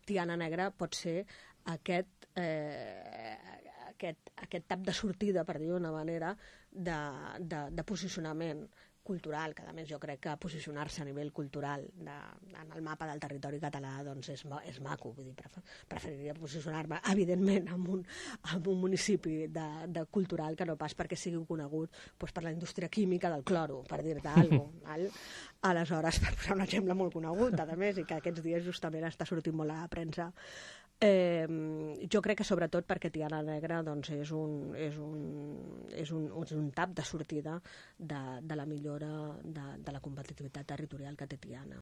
Tiana Negra pot ser aquest tap de sortida, per dir-ho d'una manera, de posicionament cultural, que a més jo crec que posicionar-se a nivell cultural en el mapa del territori català doncs és maco, vull dir, preferiria posicionar-me evidentment en un municipi de cultural que no pas perquè sigui conegut doncs, per la indústria química del cloro, per dir-te alguna cosa. Aleshores, per posar un exemple molt conegut, a més, i que aquests dies justament està sortint molt a la premsa, jo crec que sobretot perquè Tiana Negra doncs, és un tap de sortida de la millora de la competitivitat territorial que té Tiana.